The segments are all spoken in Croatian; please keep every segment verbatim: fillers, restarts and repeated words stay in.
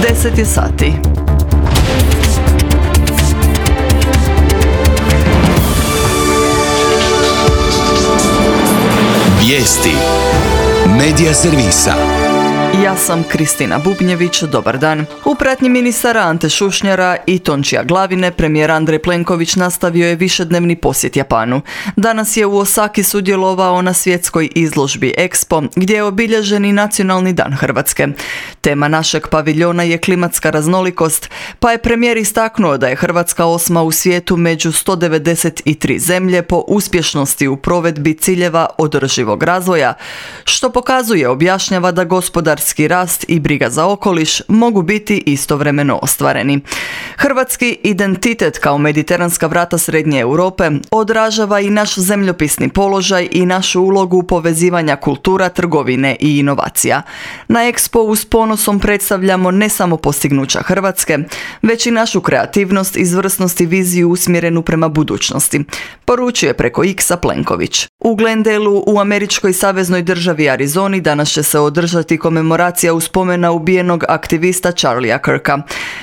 deset je sati. Vijesti Medija servisa. Ja sam Kristina Bubnjević, dobar dan. U pratnji ministara Ante Šušnjara i Tončija Glavine, premijer Andrej Plenković nastavio je višednevni posjet Japanu. Danas je u Osaki sudjelovao na svjetskoj izložbi Expo, gdje je obilježen i Nacionalni dan Hrvatske. Tema našeg paviljona je klimatska raznolikost, pa je premijer istaknuo da je Hrvatska osma u svijetu među sto devedeset tri zemlje po uspješnosti u provedbi ciljeva održivog razvoja, što pokazuje, objašnjava, da gospodarski rast i briga za okoliš mogu biti istovremeno ostvareni. Hrvatski identitet kao mediteranska vrata Srednje Europe odražava i naš zemljopisni položaj i našu ulogu povezivanja kultura, trgovine i inovacija. Na Expo s ponosom predstavljamo ne samo postignuća Hrvatske, već i našu kreativnost, izvrsnost i viziju usmjerenu prema budućnosti, poručuje preko X-a Plenković. U Glendaleu u američkoj saveznoj državi Arizoni danas će se održati komemoracija uspomena ubijenog aktivista Charliea Kirka.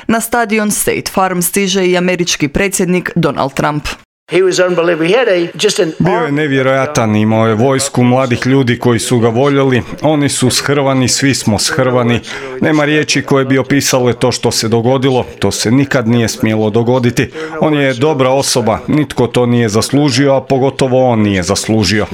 Na stadion State Farm stiže i američki predsjednik Donald Trump. Bio je nevjerojatan, imao je vojsku mladih ljudi koji su ga voljeli, oni su shrvani, svi smo shrvani, nema riječi koje bi opisale to što se dogodilo, to se nikad nije smjelo dogoditi. On je dobra osoba, nitko to nije zaslužio, a pogotovo on nije zaslužio.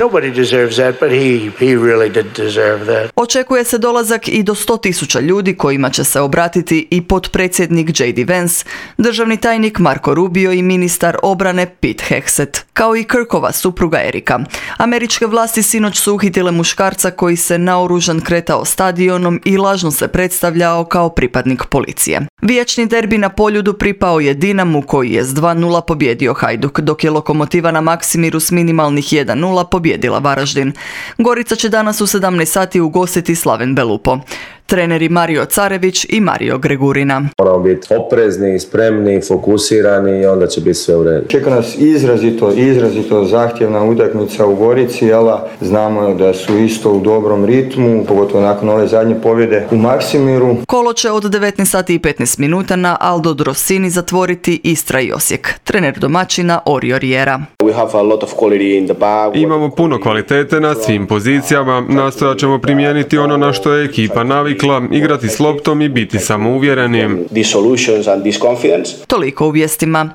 Očekuje se dolazak i do sto tisuća ljudi kojima će se obratiti i potpredsjednik J D Vance, državni tajnik Marco Rubio i ministar obrane Pete Hegseth, kao i Kirkova supruga Erika. Američke vlasti sinoć su uhitile muškarca koji se naoružan kretao stadionom i lažno se predstavljao kao pripadnik policije. Vječni derbi na Poljudu pripao je Dinamu koji je s dva nula pobjedio Hajduk, dok je Lokomotiva na Maksimiru s minimalnih jedan nula pobjedila Varaždin. Gorica će danas u sedamnaest sati ugostiti Slaven Belupo. Treneri Mario Carević i Mario Gregurina. Moramo biti oprezni, spremni, fokusirani i onda će biti sve u redu. Čeka nas izrazito, izrazito zahtjevna utakmica u Gorici, ali znamo da su isto u dobrom ritmu, pogotovo nakon ove zadnje pobjede u Maksimiru. Kolo će od devetnaest sati i petnaest minuta na Aldo Drossini zatvoriti Istra i Osijek. Trener domaćina Orio Riera. Imamo puno kvalitete na svim pozicijama, nastojat ćemo primijeniti ono na što je ekipa navikla, igrati s loptom i biti samouvjereni. Toliko u vijestima.